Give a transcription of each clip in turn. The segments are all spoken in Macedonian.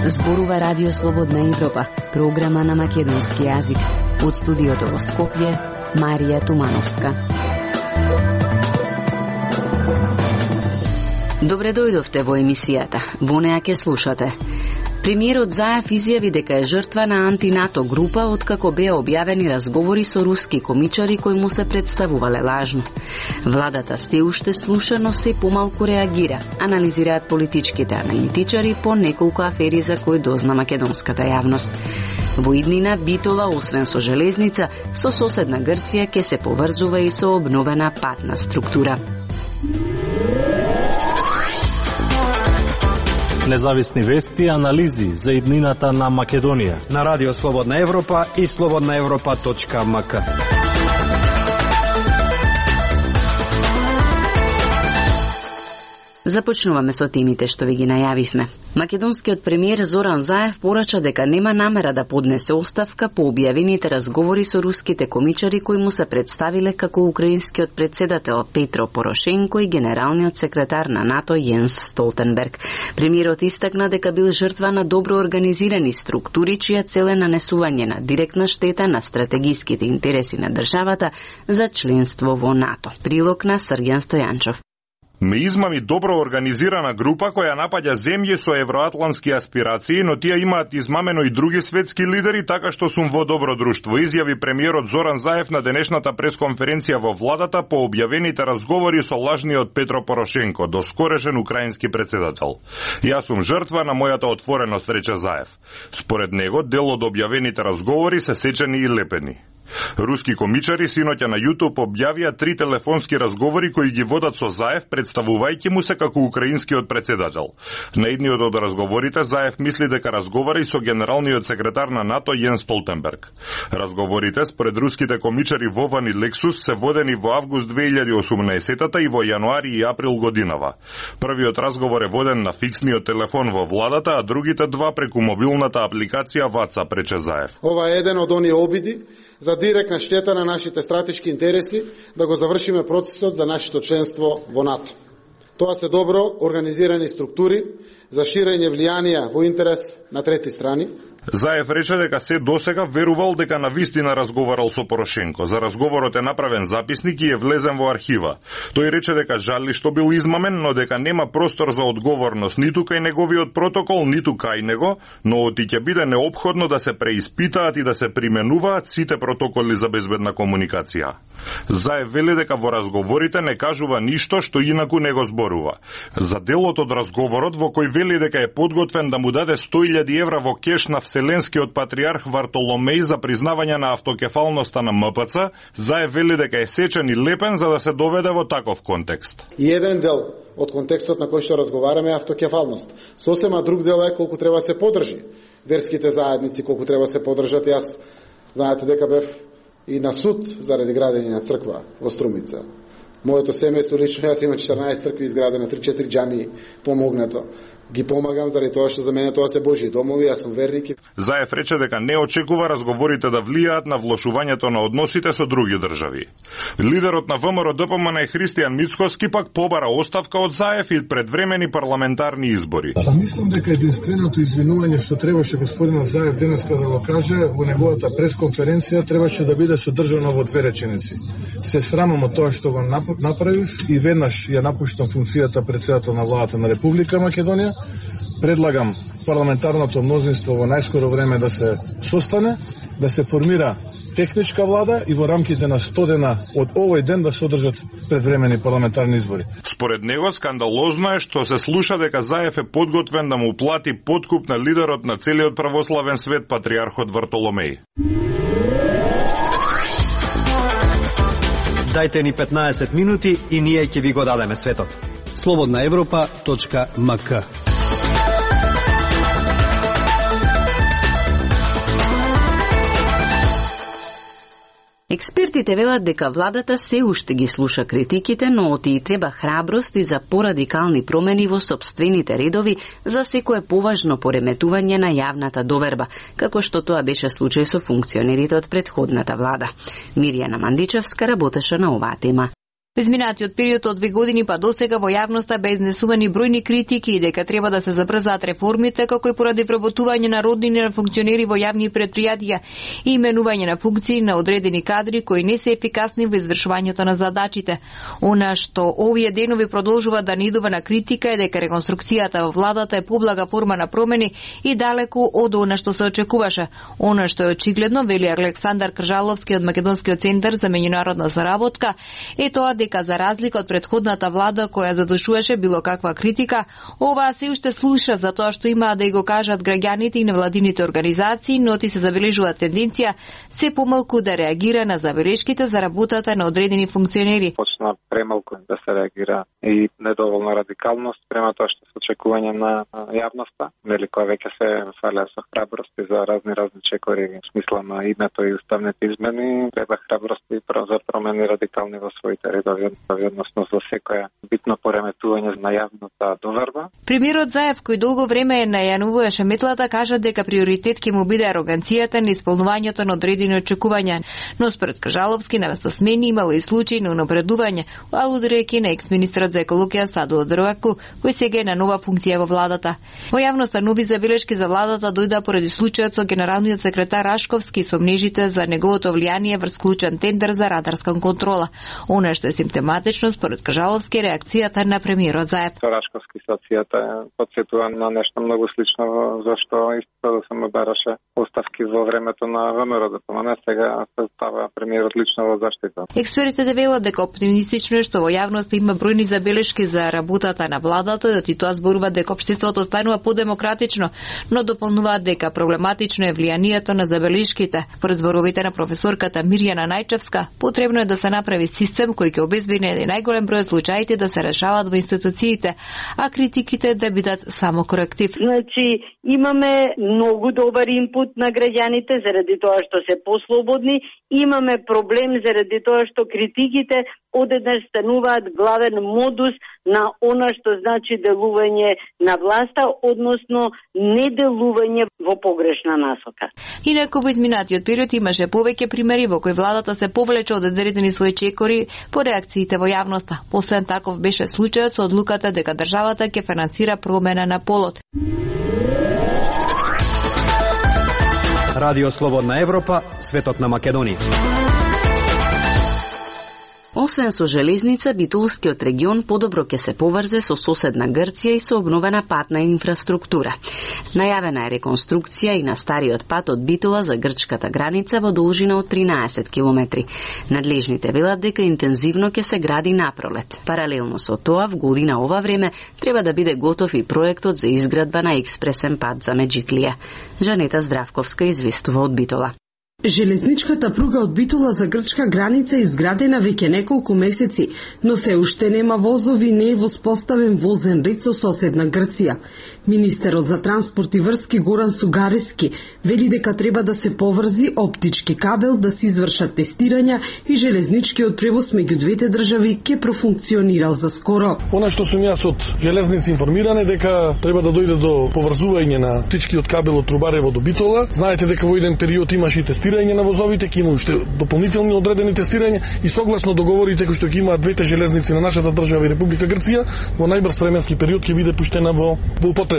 Зборува Радио Слободна Европа, програма на македонски јазик. Од студиото во Скопје, Марија Тумановска. Добре дојдовте во емисијата. Во неа ке слушате. Премиерот Заев изјави дека е жртва на антинато група откако беа објавени разговори со руски комичари кои му се представувале лажно. Владата се уште слуша, но се помалку реагира, анализираат политичките аналитичари по неколку афери за кои дозна македонската јавност. Во иднина Битола, освен со железница, со соседна Грција ке се поврзува и со обновена патна структура. Независни вести и анализи за иднината на Македонија на Радио Слободна Европа и slobodnaevropa.mk. Започнуваме со темите што ви ги најавивме. Македонскиот премиер Зоран Заев порача дека нема намера да поднесе оставка по објавените разговори со руските комичари кои му се представиле како украинскиот председател Петро Порошенко и генералниот секретар на НАТО Јенс Столтенберг. Премиерот истакна дека бил жртва на добро организирани структури чија цел е нанесување на директна штета на стратегиските интереси на државата за членство во НАТО. Прилог на Срѓан Стојанчов. Ме измами добро организирана група која напаѓа земји со евроатлантски аспирации, но тие имаат измамено и други светски лидери, така што сум во добро друштво, изјави премиерот Зоран Заев на денешната пресконференција во владата по објавените разговори со лажниот Петро Порошенко, доскорешен украински председател. Јас сум жртва на мојата отвореност, рече Заев. Според него, дел од објавените разговори се сечени и лепени. Руски комичари синоќа на YouTube објавија 3 телефонски разговори кои ги водат со Заев, представувајќи му се како украинскиот председател. На едниот од разговорите Заев мисли дека разговара и со генералниот секретар на НАТО Јенс Столтенберг. Разговорите според руските комичари Вован и Лексус се водени во август 2018 и во јануари и април годинава. Првиот разговор е воден на фиксниот телефон во владата, а другите два преку мобилната апликација WhatsApp, рече Заев. Ова е еден од оние обиди за директна штета на нашите стратешки интереси да го завршиме процесот за нашето членство во НАТО. Тоа се добро организирани структури за ширење влијанија во интерес на трети страни. Заев рече дека се досега верувал дека навистина разговарал со Порошенко. За разговорот е направен записник и е влезен во архива. Тој рече дека жали што бил измамен, но дека нема простор за одговорност ниту кај неговиот протокол, ниту кај него, но оти ќе биде неопходно да се преиспитаат и да се применуваат сите протоколи за безбедна комуникација. Заев вели дека во разговорите не кажува ништо што инаку не го зборува. За делот од разговорот во кој вели дека е подготвен да му даде 100.000 евра во кеш на Вселенскиот патриарх Вартоломеј за признавање на автокефалноста на МПЦ, Заев вели дека е сечен и лепен за да се доведе во таков контекст. И еден дел од контекстот на кој што разговараме е автокефалност. Сосема друг дел е колку треба се подржи верските заедници, колку треба се подржат. Јас знаете дека бев и на суд заради градење на црква во Струмица. Моето семејство лично, јас имам 14 цркви изградено, 3-4 џамии помогнато. Ги помагам заради тоа што за мене тоа се Божји домови, јас сум верник. Заев рече дека не очекува разговорите да влијаат на влошувањето на односите со други држави. Лидерот на ВМРО-ДПМН Христијан Мицкоски пак побара оставка од Заев и предвремени парламентарни избори. Мислам дека единственото извинување што требаше господинот Заев денеска да го каже во неговата пресконференција требаше да биде содржано во 2 реченици. Се срамам од тоа што го направив и веднаш ја напуштам функцијата председател на владата на Република Македонија. Предлагам парламентарното мнозинство во најскоро време да се состане, да се формира техничка влада и во рамките на 100 дена од овој ден да се одржат предвремени парламентарни избори. Според него скандалозно е што се слуша дека Заев е подготвен да му плати подкуп на лидерот на целиот православен свет патриархот Вартоломеј. Дајте ни 15 минути и ние ќе ви го дадеме светот. slobodnaevropa.mk. Експертите велат дека владата се уште ги слуша критиките, но оти треба храброст и за порадикални промени во сопствените редови за секое поважно пореметување на јавната доверба, како што тоа беше случај со функционерите од претходната влада. Мирјана Мандичевска работеше на оваа тема. Во изминатиот период од 2 години па досега во јавноста бе изнесувани бројни критики и дека треба да се забрзаат реформите, како и поради вработување на роднини на функционери во јавни претпријатија и именување на функции на одредени кадри кои не се ефикасни во извршувањето на задачите. Она што овие денови продолжува да нидува на критика е дека реконструкцијата во владата е поблага форма на промени и далеку од она што се очекуваше. Она што е очигледно, вели Александар Кржаловски од Македонскиот центар за меѓународна заработка, е тоа дека за разлика од претходната влада која задушуваше било каква критика, оваа се уште слуша за тоа што имаат да го кажат граѓаните и невладините организации, но ти се забележува тенденција се помалку да реагира на забелешките за работата на одредени функционери. Почна премалку да се реагира и недоволна радикалност према тоа што се очекување на јавноста, нели која веќе се фалеа со храбрости за разни чекори во смисла на името и уставните измени, треба храбрости за промени радикални во своите редови. Односно за секоја битно пореметување на јавната доверба. Премиерот Заев, кој долго време најануваше метлата, кажа дека приоритет ќе му биде ароганцијата на исполнувањето на одредени очекувања, но според Кажаловски навесто смени имало и случаи на унапредување, алудирајќи на екс-министерот за екологија Садо Дрваку, кој сега е на нова функција во владата. Во јавноста нови забелешки за владата дојда поради случајот со генералниот секретар Рашковски со мнежите за неговото влијание врз клучен тендер за радарска контрола. Она што е симптоматично според Кажаловски реакцијата на премиерот Заев. Рашковски ситуацијата потсетува на нешто многу слично зашто исто да се му бараше оставки во времето на ВМРО да помане, сега се става премиерот лично во заштита. Експертите велат дека оптимистично е што во јавноста има бројни забелешки за работата на владата, и тоа зборува дека општеството станува подемократично, но дополнуваат дека проблематично е влијанието на забелешките. Според зборовите на професорката Мирјана Најчевска, потребно е да се направи систем кој ќе обезбеди најголем број случаите да се решават во институциите, а критиките да бидат само коректив. Значи, имаме многу добар инпут на граѓаните заради тоа што се послободни, имаме проблем заради тоа што критиките одеднаш стануваат главен модус на она што значи делување на власта, односно неделување во погрешна насока. Инаку во изминатиот период имаше повеќе примери во кои владата се повлече од одредени своји чекори по реакциите во јавноста. Последен таков беше случајот со одлуката дека државата ќе финансира промена на полот. Радио Слободна Европа, светот на Македонија. Освен со железница, Битолскиот регион подобро ќе се поврзе со соседна Грција и со обновена патна инфраструктура. Најавена е реконструкција и на стариот пат од Битола за грчката граница во должина од 13 километри. Надлежните велат дека интензивно ќе се гради напролет. Паралелно со тоа, в година ова време треба да биде готов и проектот за изградба на експресен пат за Меджитлија. Жанета Здравковска известува од Битола. Железничката пруга од Битола за грчка граница е изградена веќе неколку месеци, но се уште нема возови, не е воспоставен возен ред со соседна Грција. Министерот за транспорт и врски Горан Сугарески вели дека треба да се поврзи оптички кабел, да се извршат тестирања и железничкиот превоз меѓу двете држави ќе профункционирал за скоро. Она што сум јас од железници информиран е дека треба да дојде до поврзување на оптичкиот кабел од Трубарево до Битола. Знаете дека во еден период имаше и тестирање на возовите, ќе има уште дополнителни одредени тестирања и согласно договорите кои што ќе имаат двете железници на нашата држава и Република Грција, во најбрз временски период ќе биде пуштена во употреба.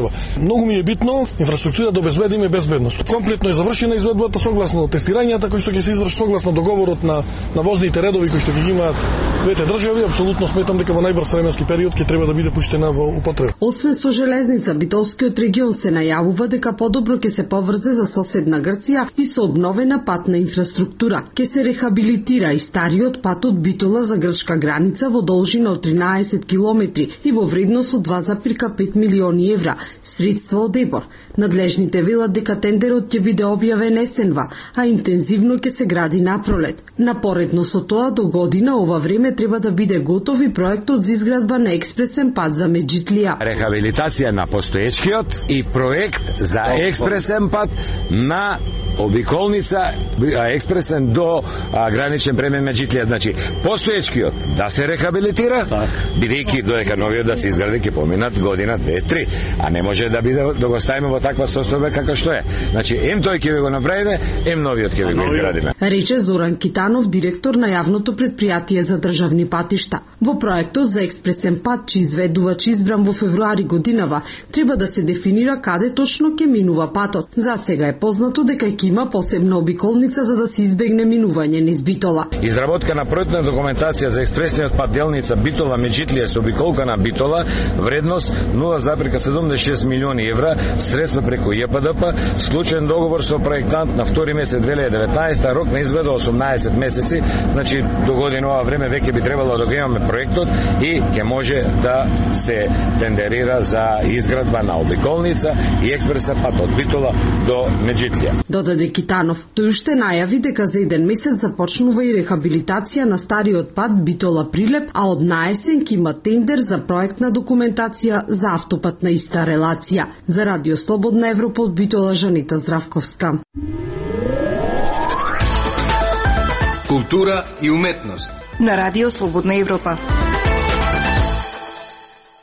Многу ми е битно инфраструктура да обезбедиме безбедност. Комплетно е завршена изvedбата согласно тестирањата кои што ќе се извршат согласно договорот на возните редови кои што ќе имаат двете држави. Апсолутно сметам дека во најбрз временски период ќе треба да биде пуштена во употреба. Освен со железница, Битолскиот регион се најавува дека подобро ќе се поврзе за соседна Грција и со обновена патна инфраструктура. Ќе се рехабилитира и стариот пат од Битола за грчка граница во должина од 13 километри и во вредност од 2,5 милиони евра, средства од ЕБОР. Надлежните велат дека тендерот ќе биде објавен есенва, а интензивно ќе се гради напролет. Напоредно со тоа, до година ова време треба да биде готов и проектот за изградба на експресен пат за Меджитлија. Рехабилитација на постоечкиот и проект за експресен пат на обиколница експресен до граничен премин Меджитлија. Значи, постоечкиот да се рехабилитира, бидејќи додека новиот да се изгради ќе поминат година, 2-3, а не може да биде да го ставиме во таква состојба како што е. Значи, тој ќе ви го направиме, новиот ќе ви го изградиме. Рече Зоран Китанов, директор на јавното предпријатие за државни патишта. Во проектот за експресен пат, чиј изведувач избран во февруари годинава, треба да се дефинира каде точно ќе минува патот. За сега е познато дека ќе има посебна обиколница за да се избегне минување низ Битола. Изработка на проектна документација за експресниот пат делница Битола Меджитлија со обиколка на Битола, вредност 0,76 милиони евра, средства преку ЈПДП, склучен договор со проектант на 2 месец 2019, рок на изведа 18 месеци, значи до година ова време веќе би требало да го имаме проектот и ќе може да се тендерира за изградба на обиколница и експресен пат од Битола до Меджитлија. Додаде Китанов, тој уште најави дека за 1 месец започнува и рехабилитација на стариот пат Битола Прилеп, а од наесен ќе има тендер за проектна документација за автопат на иста релација. За Радио Слободна Европа од Битола, Жанита Здравковска. Култура и уметност на Радио Слободна Европа.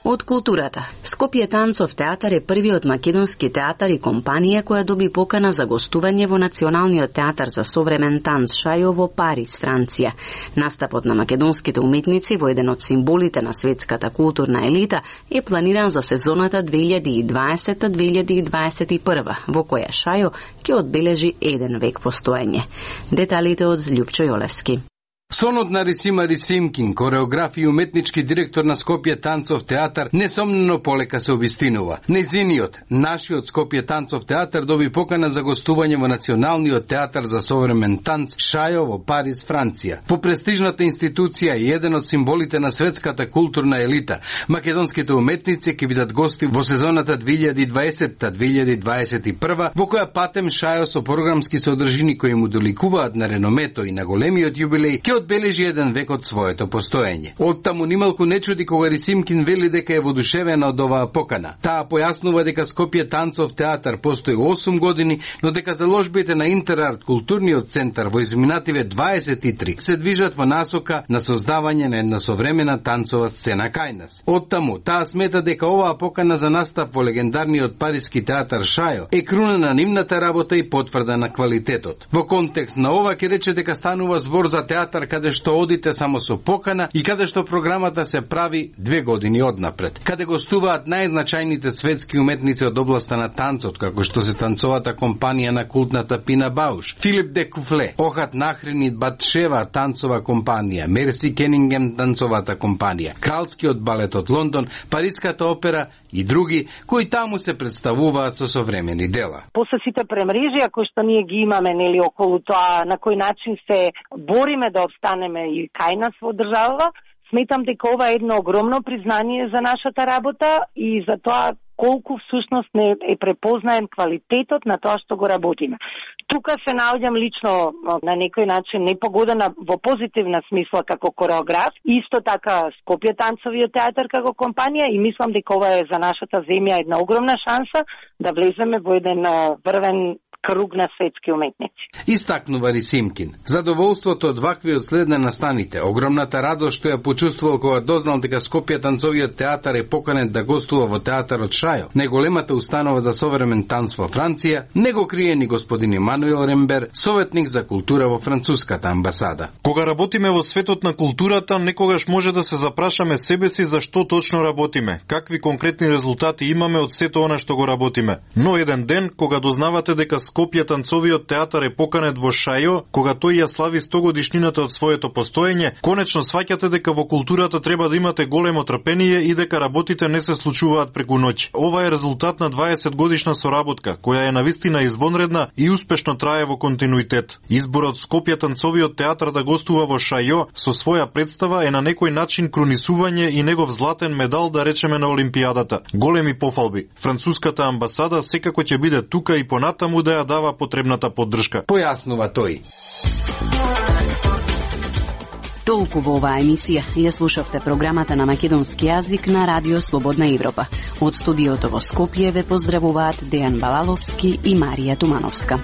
Од културата. Скопје танцов театар е првиот македонски театар и компанија која доби покана за гостување во Националниот театар за современ танц Шајо во Париз, Франција. Настапот на македонските уметници во еден од символите на светската културна елита е планиран за сезоната 2020-2021, во која Шајо ќе одбележи 1 век постоење. Деталите од Љупчо Јолевски. Сонот на Рисима Рисимкин, кореограф и уметнички директор на Скопје танцов театар, несомнено полека се обистинува. Незиниот, нашиот Скопје танцов театар доби покана за гостување во Националниот театар за современ танц Шајо во Париз, Франција. По престижната институција и еден од символите на светската културна елита, македонските уметници ќе бидат гости во сезоната 2020-2021, во која патем Шајо со програмски содржини кои му доликуваат на реномето и на големиот јубилеј ќе одбележи 1 век од своето постоење. Оттаму нималку не чуди кога Рисимкин вели дека е воодушевена од оваа покана. Таа појаснува дека Скопје танцов театар постои 8 години, но дека заложбите на Интерарт културниот центар во изминативе 23 се движат во насока на создавање на една современа танцова сцена кај нас. Оттаму таа смета дека оваа покана за настап во легендарниот париски театар Шајо е круна на нивната работа и потврда на квалитетот. Во контекст на ова ќе рече дека станува збор за театар каде што одите само со покана и каде што програмата се прави 2 години однапред. Каде гостуваат најзначајните светски уметници од областа на танцот, како што се танцовата компанија на култната Пина Бауш, Филип де Куфле, Охат Нахрин и Батшева танцова компанија, Мерси Кенингем танцовата компанија, Кралскиот балет од Лондон, Париската опера и други, кои таму се представуваат со современи дела. После сите премрежија кои што ние ги имаме нели околу тоа на кој начин се бориме да обстанеме и кај нас во државава, сметам дека ова е едно огромно признание за нашата работа и за тоа колку всушност не е препознаен квалитетот на тоа што го работиме. Тука се наоѓам лично на некој начин непогодена во позитивна смисла како кореограф, исто така Скопје танцовиот театар како компанија и мислам дека ова е за нашата земја една огромна шанса да влеземе во еден врвен круг на светски уметници. Истакнува Рисимкин. Задоволството од ваквиот след на настаните, огромната радост што ја почувствувал кога дознал дека Скопје танцовиот театар е поканет да гостува во театарот Шајо, најголемата установа за современ танц во Франција, не го крие ни господин Емануел Рембер, советник за култура во француската амбасада. Кога работиме во светот на културата, некогаш може да се запрашаме себе си за што точно работиме, какви конкретни резултати имаме од сето она што го работиме. Но еден ден, кога дознавате дека Скопје танцовиот театар е поканет во Шајо, кога тој ја слави 100 годишнината од своето постоење, конечно сваќате дека во културата треба да имате големо трпение и дека работите не се случуваат преку ноќ. Ова е резултат на 20 годишна соработка, која е навистина извонредна и успешно трае во континуитет. Изборот Скопје танцовиот театар да гостува во Шајо со своја представа е на некој начин крунисување и негов златен медал, да речеме, на Олимпијадата. Големи пофалби. Француската амбасада секако ќе биде тука и понатаму да ја дава потребната поддршка. Појаснува тој. Толку во оваа емисија. Ја слушавте програмата на македонски јазик на Радио Слободна Европа. Од студиото во Скопје ве поздравуваат Дејан Балаловски и Марија Тумановска.